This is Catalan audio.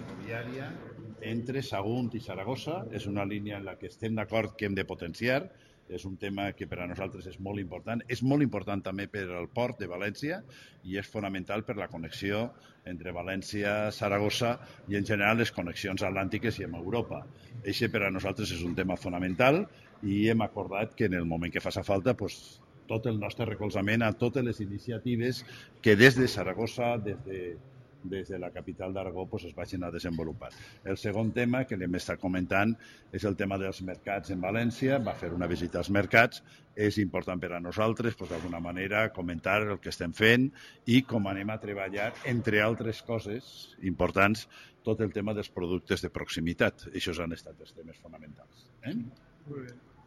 ferroviària entre Sagunt i Saragossa. És una línia en la que estem d'acord que hem de potenciar. És un tema que per a nosaltres és molt important. És molt important també per al port de València i és fonamental per la connexió entre València, Saragossa i en general les connexions atlàntiques i amb Europa. Això per a nosaltres és un tema fonamental i hem acordat que en el moment que faci falta tot el nostre recolzament a totes les iniciatives que des de Saragossa, des de la capital d'Aragó es vagin a desenvolupar. El segon tema que l'hem estat comentant és el tema dels mercats en València. Va fer una visita als mercats. És important per a nosaltres, d'alguna manera, comentar el que estem fent i com anem a treballar, entre altres coses importants, tot el tema dels productes de proximitat. Aquests han estat els temes fonamentals. Molt bé.